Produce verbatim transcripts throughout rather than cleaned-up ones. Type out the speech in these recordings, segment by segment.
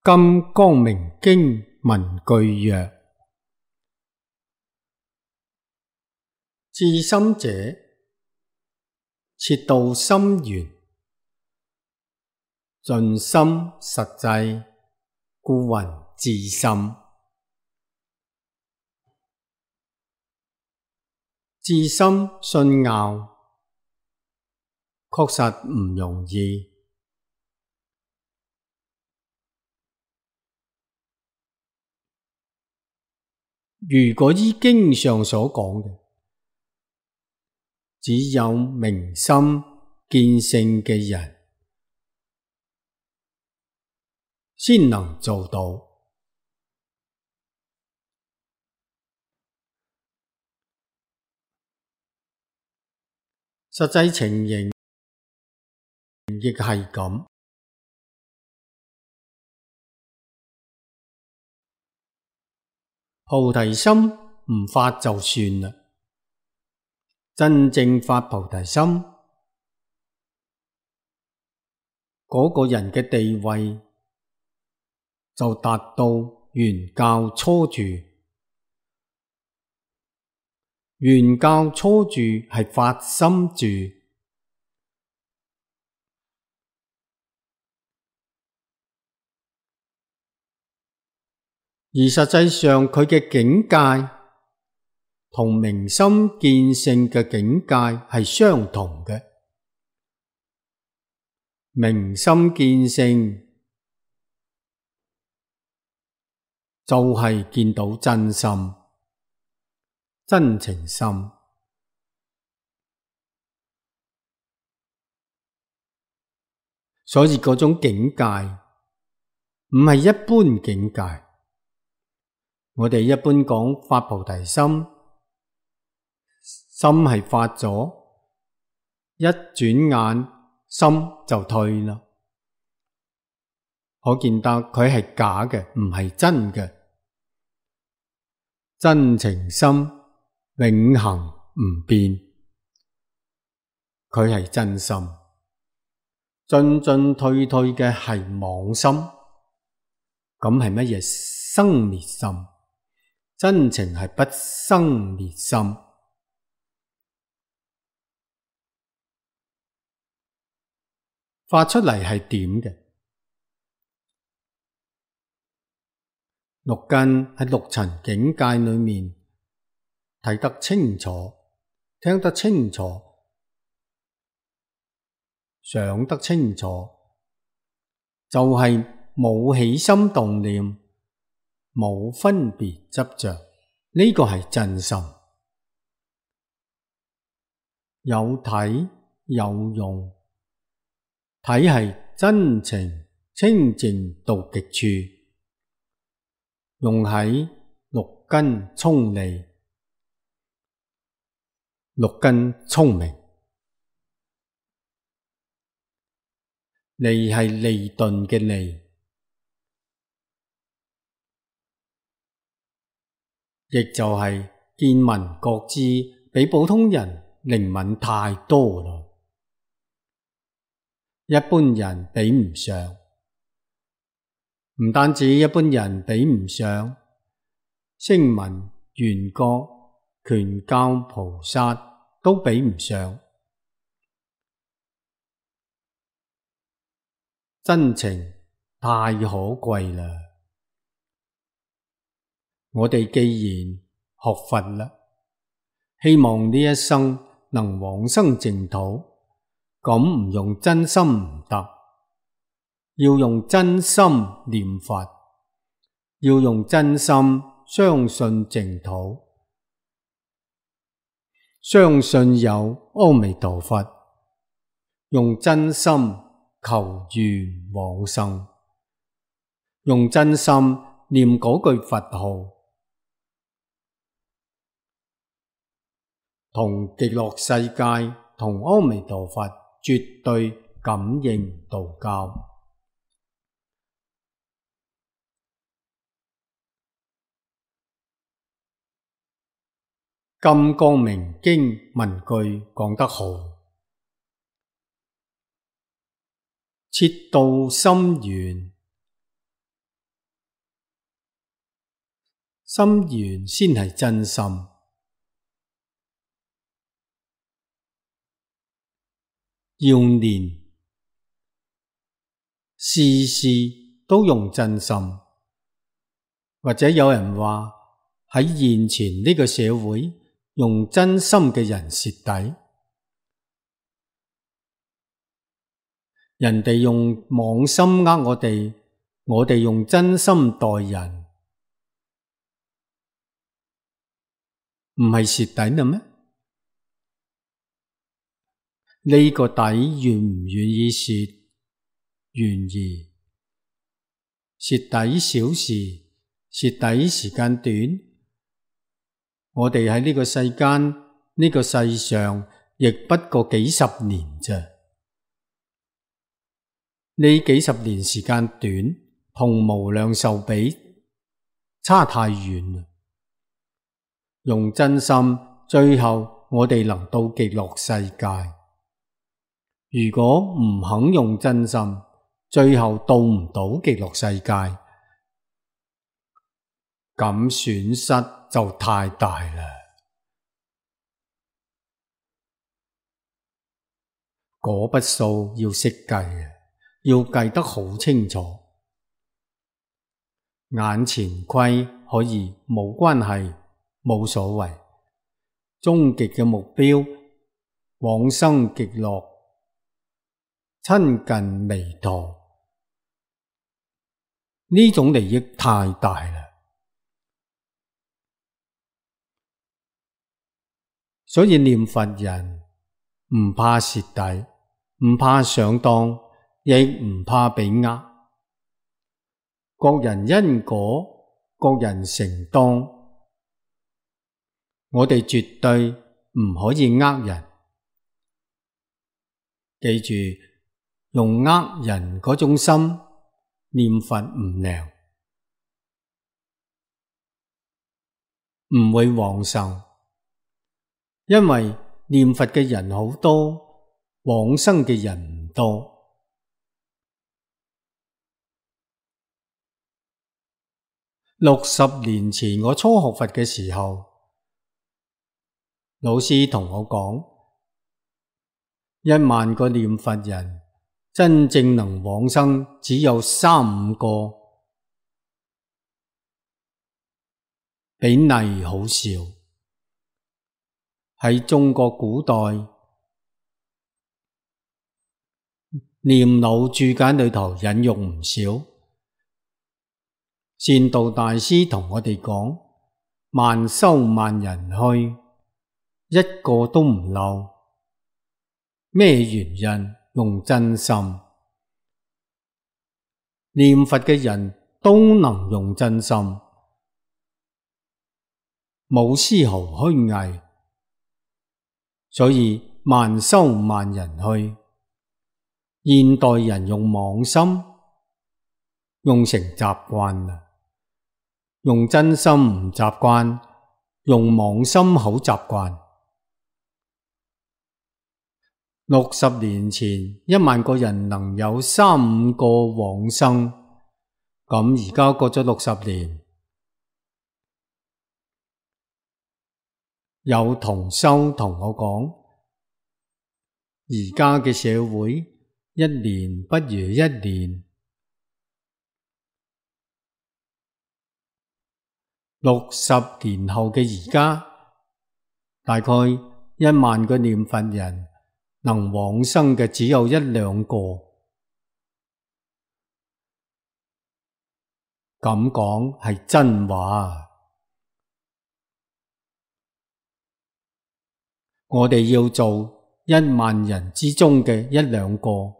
金光明經文句曰：至心者，切到心源，盡心實際，故云至心。至心信拗，確實唔容易。如果依經上所講嘅，只有明心見性嘅人先能做到。實際情形亦係咁。菩提心唔發就算啦，真正發菩提心，嗰個人嘅地位就達到原教初住。原教初住係發心住，而實際上佢嘅境界同明心見性嘅境界係相同嘅。明心見性就係見到真心、真情心，所以嗰種境界唔係一般境界。我哋一般講發菩提心，心係發咗，一轉眼心就退啦。可見得佢係假嘅，唔係真嘅。真情心永恆唔變，佢係真心。進進退退嘅係妄心，咁係乜嘢？生滅心。真情係不生滅心。發出嚟係點嘅？六根喺六塵境界裏面睇得清楚，聽得清楚，想得清楚，就係冇起心動念，冇分別執着，呢個係真心。有體有用，體係真情清淨到極處，用喺六根聰利，六根聰明。利係利鈍嘅利，亦就係見聞覺知比普通人靈敏太多啦，一般人比唔上。唔單止一般人比唔上，聲聞、緣覺、權教菩薩都比唔上。真情太可貴啦！我哋既然學佛啦，希望呢一生能往生淨土，咁唔用真心唔得，要用真心念佛，要用真心相信淨土，相信有阿彌陀佛，用真心求願往生，用真心念嗰句佛號，同極樂世界同阿彌陀佛絕對感應道交。金光明經文句講得好，切到心源，心源先係真心。要練，事事都用真心。或者有人話喺現前呢個社會，用真心嘅人蝕底。人哋用妄心呃我哋，我哋用真心待人，唔係蝕底啦咩？呢個底願唔願意蝕？願意。蝕底小事，蝕底時間短。我哋喺呢個世間，呢個世上，亦不過幾十年啫。呢幾十年時間短，同無量壽比，差太遠啦。用真心，最後我哋能到極樂世界。如果唔肯用真心，最後到唔到極樂世界，咁損失就太大啦。嗰筆數要識計，要計得好清楚。眼前虧可以冇關係，冇所謂。終極嘅目標，往生極樂，親近彌陀，呢種利益太大啦。所以念佛人唔怕蝕底，唔怕上當，亦唔怕被呃。各人因果，各人承當，我哋絕對唔可以呃人。記住，用呃人嗰種心念佛唔靈，唔會往生。因為念佛嘅人好多，往生嘅人唔多。六十年前我初學佛嘅時候，老師同我講，一萬個念佛人，真正能往生只有三五個，比例好少。喺中國古代念老注解裏頭引用唔少，善導大師同我哋講，萬修萬人去，一個都唔漏。咩原因？用真心。念佛嘅人都能用真心，冇絲毫虛偽。所以萬修萬人去。現代人用妄心，用成習慣啦。用真心唔習慣，用妄心好習慣。六十年前，一萬個人能有三五個往生，咁而家過咗六十年，有同修同我講，而家嘅社會一年不如一年。六十年後嘅而家，大概一萬個念佛人能往生嘅只有一兩個。咁講係真話。我哋要做一萬人之中嘅一兩個，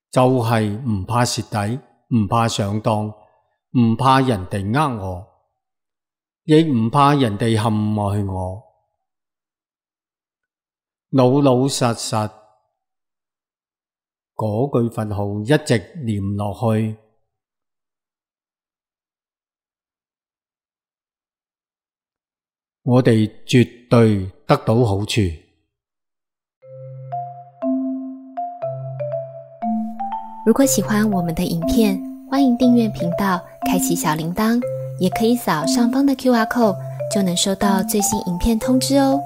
就係唔怕蝕底，唔怕上當，唔怕人哋呃我，亦唔怕人哋陷害我，老老實實嗰句佛號一直念落去，我哋絕對得到好處。如果喜歡我們的影片，歡迎訂閱頻道，開啟小鈴鐺，也可以扫上方的 Q R code， 就能收到最新影片通知哦。